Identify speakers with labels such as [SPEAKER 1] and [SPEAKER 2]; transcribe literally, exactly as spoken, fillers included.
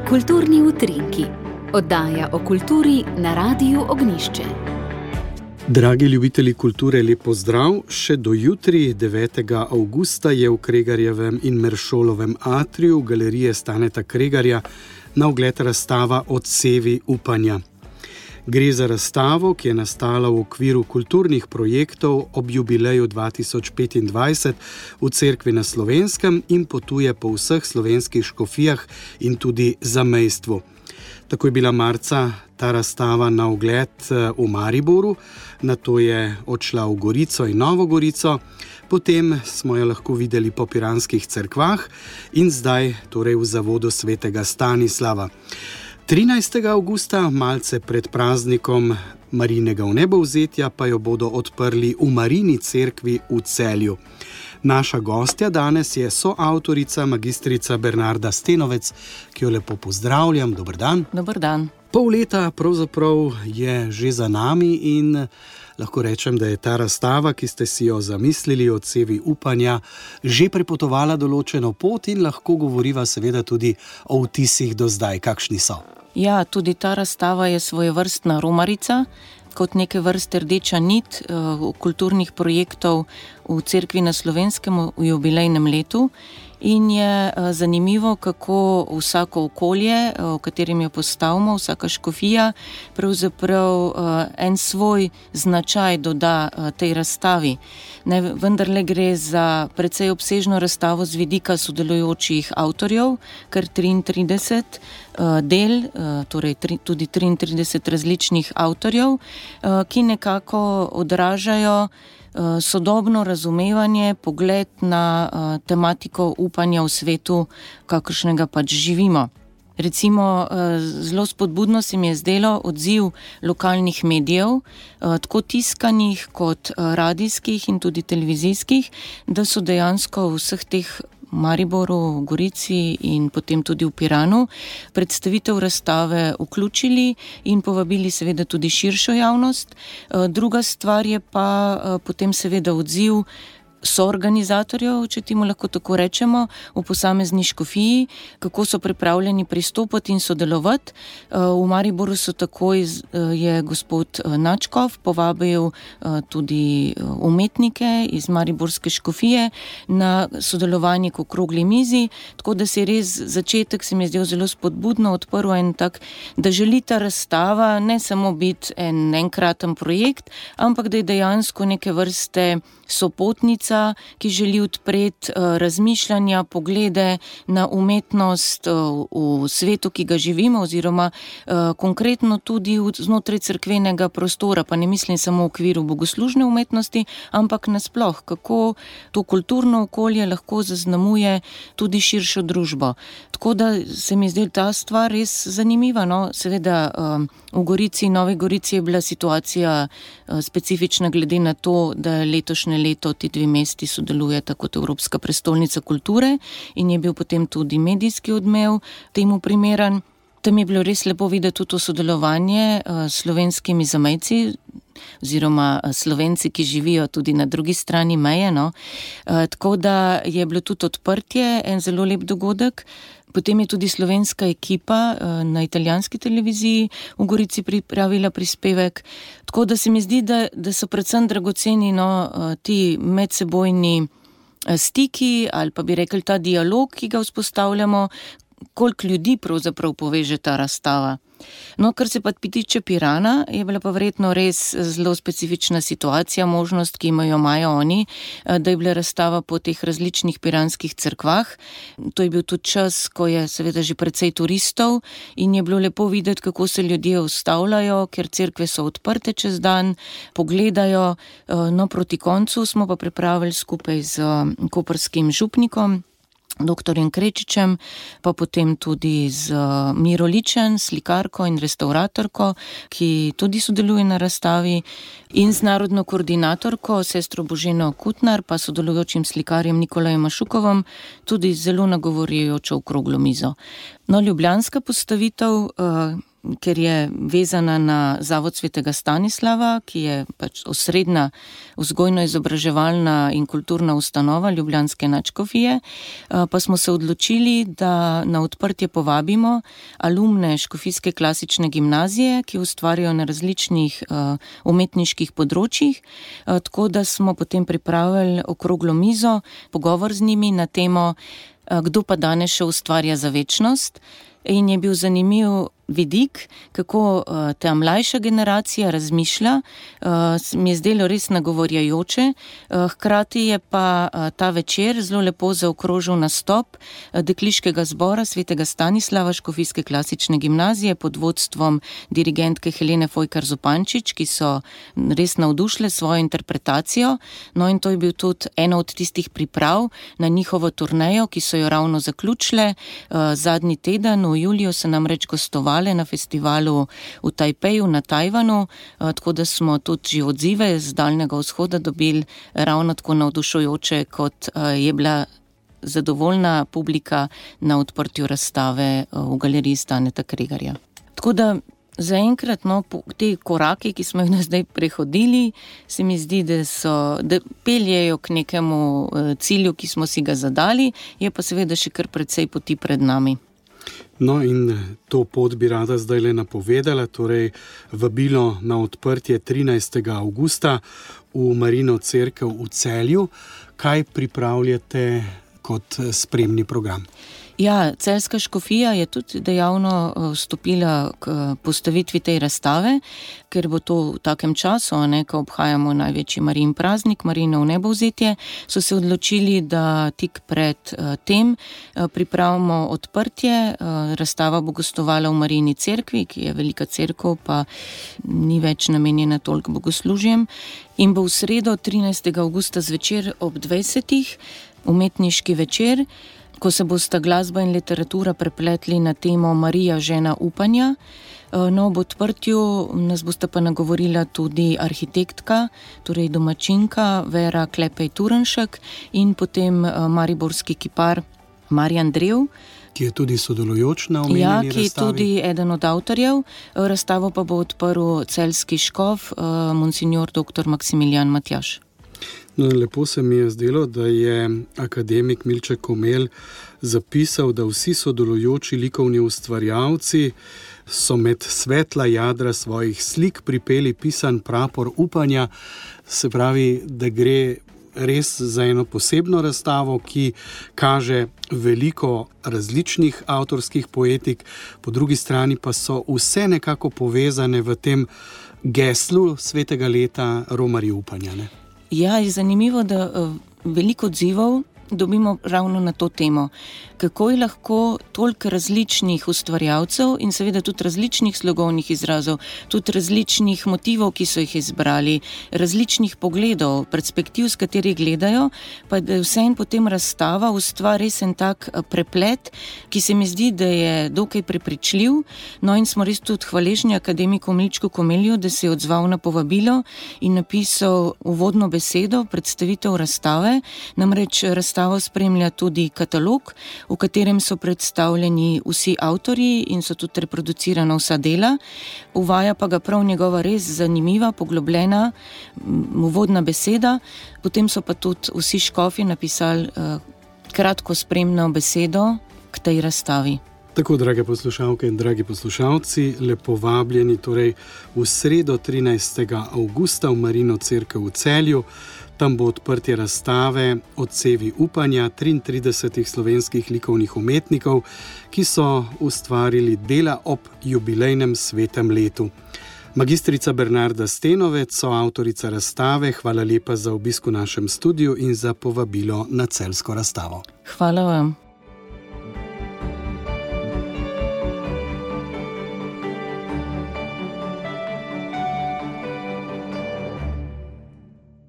[SPEAKER 1] Kulturni utrinki, oddaja o kulturi na Radiu Ognjišče.
[SPEAKER 2] Dragi ljubitelji kulture, lep pozdrav. Še do jutri, devetega avgusta, je v Kregarjevem in Meršolovem atriju galerije Staneta Kregarja na ogled razstava Odsevi upanja. Gre za razstavo, ki je nastala v okviru kulturnih projektov ob jubileju dva tisoč petindvajset v Cerkvi na Slovenskem in potuje po vseh slovenskih škofijah in tudi zamejstvu. Tako je bila marca ta razstava na ogled v Mariboru, nato je odšla v Gorico in Novo Gorico, potem smo jo lahko videli po piranskih cerkvah in zdaj torej v zavodu svetega Stanislava. trinajstega avgusta, malce pred praznikom Marijinega vnebovzetja, pa jo bodo odprli v Marijini cerkvi v Celju. Naša gostja danes je soavtorica magistrica Bernarda Stenovec, ki jo lepo pozdravljam. Dober dan.
[SPEAKER 3] Dober dan.
[SPEAKER 2] Pol leta pravzaprav je že za nami in lahko rečem, da je ta razstava, ki ste si jo zamislili, Odsevi upanja, že prepotovala določeno pot in lahko govoriva seveda tudi o vtisih do zdaj. Kakšni so?
[SPEAKER 3] Ja, tudi ta razstava je svojevrstna romarica, kot neke vrste rdeča nit uh, kulturnih projektov v Cerkvi na Slovenskem v jubilejnem letu. In je uh, zanimivo, kako vsako okolje, uh, v katerem jo postavimo, vsaka škofija, pravzaprav uh, en svoj značaj doda uh, tej razstavi. Ne, vendarle gre za precej obsežno razstavo z vidika sodelujočih avtorjev, kar triintrideset uh, del, uh, torej tri, tudi triintrideset različnih avtorjev, uh, ki nekako odražajo sodobno razumevanje, pogled na uh, tematiko upanja v svetu, kakršnega pač živimo. Recimo, uh, zelo spodbudno se mi je zdelo odziv lokalnih medijev, uh, tako tiskanih kot uh, radijskih in tudi televizijskih, da so dejansko v vseh teh Mariboru, v Gorici in potem tudi v Piranu predstavitev razstave vključili in povabili seveda tudi širšo javnost. Druga stvar je pa potem seveda odziv soorganizatorjev, če temu lahko tako rečemo, v posamezni škofiji, kako so pripravljeni pristopati in sodelovati. V Mariboru so takoj je gospod Načkov povabil tudi umetnike iz mariborske škofije na sodelovanje k okrogli mizi, tako da se je res začetek se mi je zdel zelo spodbudno, odprl en tak, da želi ta razstava ne samo biti en enkraten projekt, ampak da je dejansko neke vrste sopotnica, ki želi odpreti uh, razmišljanja, poglede na umetnost uh, v svetu, ki ga živimo, oziroma uh, konkretno tudi v, znotraj cerkvenega prostora, pa ne mislim samo v okviru bogoslužne umetnosti, ampak nasploh, kako to kulturno okolje lahko zaznamuje tudi širšo družbo. Tako da se mi zdi ta stvar res zanimiva. No? Seveda uh, v Gorici, Novi Gorici je bila situacija uh, specifična glede na to, da letošnje leto ti dve mesti sodelujeta kot Evropska prestolnica kulture in je bil potem tudi medijski odmev temu primeren. Tam je bilo res lepo videti tudi to sodelovanje s slovenskimi zamejci oziroma Slovenci, ki živijo tudi na drugi strani meje. No. Tako da je bilo tudi odprtje, en zelo lep dogodek. Potem je tudi slovenska ekipa na italijanski televiziji v Gorici pripravila prispevek. Tako da se mi zdi, da, da so predvsem dragoceni no, ti medsebojni stiki ali pa bi rekli ta dialog, ki ga vzpostavljamo, koliko ljudi pravzaprav poveže ta razstava. No, kar se pa tiče Pirana, je bila pa verjetno res zelo specifična situacija, možnost, ki imajo imajo oni, da je bila razstava po teh različnih piranskih cerkvah. To je bil tudi čas, ko je seveda že precej turistov in je bilo lepo videti, kako se ljudje ustavljajo, ker cerkve so odprte čez dan, pogledajo. No, proti koncu smo pa pripravili skupaj z koprskim župnikom, doktorjem Krečičem, pa potem tudi z Miro Ličen, slikarko in restauratorko, ki tudi sodeluje na razstavi, in z narodno koordinatorko, sestro Boženo Kutnar, pa sodelujočim slikarjem Nikolajem Mašukovom, tudi zelo nagovorjujočo okroglo mizo. No, ljubljanska postavitev, ker je vezana na Zavod svetega Stanislava, ki je pač osrednja vzgojno-izobraževalna in kulturna ustanova ljubljanske nadškofije, pa smo se odločili, da na odprtje povabimo alumne Škofijske klasične gimnazije, ki ustvarjajo na različnih umetniških področjih, tako da smo potem pripravili okroglo mizo, pogovor z njimi na temo, kdo pa danes še ustvarja za večnost, in je bil zanimiv vidik, kako uh, ta mlajša generacija razmišlja, uh, mi je zdelo res nagovorjajoče, uh, hkrati je pa uh, ta večer zelo lepo zaokrožil nastop uh, dekliškega zbora svetega Stanislava Škofijske klasične gimnazije pod vodstvom dirigentke Helene Fojkar Zupančič, ki so res navdušile svojo interpretacijo, no in to je bil tudi ena od tistih priprav na njihovo turnejo, ki so jo ravno zaključile. Uh, zadnji teden v juliju se namreč gostovali na festivalu v Tajpeju na Tajvanu, tako da smo tudi že odzive z Daljnega vzhoda dobili ravno tako navdušujoče, kot je bila zadovoljna publika na odprtju razstave v galeriji Staneta Kregarja. Tako da zaenkrat, no, te korake, ki smo jih zdaj prehodili, se mi zdi, da so, da peljejo k nekemu cilju, ki smo si ga zadali, je pa seveda še kar precej poti pred nami.
[SPEAKER 2] No in to pot bi rada zdaj le napovedala, torej vabilo na odprtje trinajstega avgusta v Marino cerkev v Celju. Kaj pripravljate kot spremni program?
[SPEAKER 3] Ja, Celjska škofija je tudi dejavno vstopila k postavitvi tej razstave, ker bo to v takem času, ne, ko obhajamo največji Marijin praznik, Marijino vnebovzetje, so se odločili, da tik pred tem pripravimo odprtje. Razstava bo gostovala v Marijini cerkvi, ki je velika cerkev, pa ni več namenjena toliko bogoslužjem, in bo v sredo trinajstega avgusta zvečer ob dvajsetih umetniški večer, ko se bosta glasba in literatura prepletli na temo Marija, žena upanja. No, ob odprtju nas bosta pa nagovorila tudi arhitektka, torej domačinka Vera Klepej-Turenšek in potem mariborski kipar Marjan Drev,
[SPEAKER 2] ki je tudi sodelujoč na omenjeni razstavi.
[SPEAKER 3] Ja, ki je tudi eden od avtorjev. Razstavo pa bo odprl celjski škof, monsignor doktor Maksimilijan Matjaž.
[SPEAKER 2] No, lepo se mi je zdelo, da je akademik Milček Komelj zapisal, da vsi sodelujoči likovni ustvarjalci so med svetla jadra svojih slik pripeli pisan prapor upanja, se pravi, da gre res za eno posebno razstavo, ki kaže veliko različnih avtorskih poetik, po drugi strani pa so vse nekako povezane v tem geslu svetega leta Romarji upanja, ne?
[SPEAKER 3] Ja, je zanimivo, da veliko odzivov dobimo ravno na to temo. Kako je lahko toliko različnih ustvarjalcev in seveda tudi različnih slogovnih izrazov, tudi različnih motivov, ki so jih izbrali, različnih pogledov, perspektiv, s katerih gledajo, pa da je vseeno potem razstava ustvari res en tak preplet, ki se mi zdi, da je dokaj prepričljiv. No in smo res tudi hvaležni akademiku Milčku Komelju, da se je odzval na povabilo in napisal uvodno besedo, predstavitev razstave. Namreč razstavo spremlja tudi katalog, v katerem so predstavljeni vsi avtorji in so tudi reproducirana vsa dela. Uvaja pa ga prav njegova res zanimiva, poglobljena uvodna beseda. Potem so pa tudi vsi škofi napisali uh, kratko spremno besedo k tej razstavi.
[SPEAKER 2] Tako, drage poslušalke in dragi poslušalci, lepo vabljeni torej v sredo trinajstega avgusta v Marino cerkev v Celju. Tam bo odprtje razstave Odsevi upanja triintridesetih slovenskih likovnih umetnikov, ki so ustvarili dela ob jubilejnem svetem letu. Magistrica Bernarda Stenovec, soavtorica razstave, hvala lepa za obisk v našem studiu in za povabilo na celjsko razstavo.
[SPEAKER 3] Hvala vam.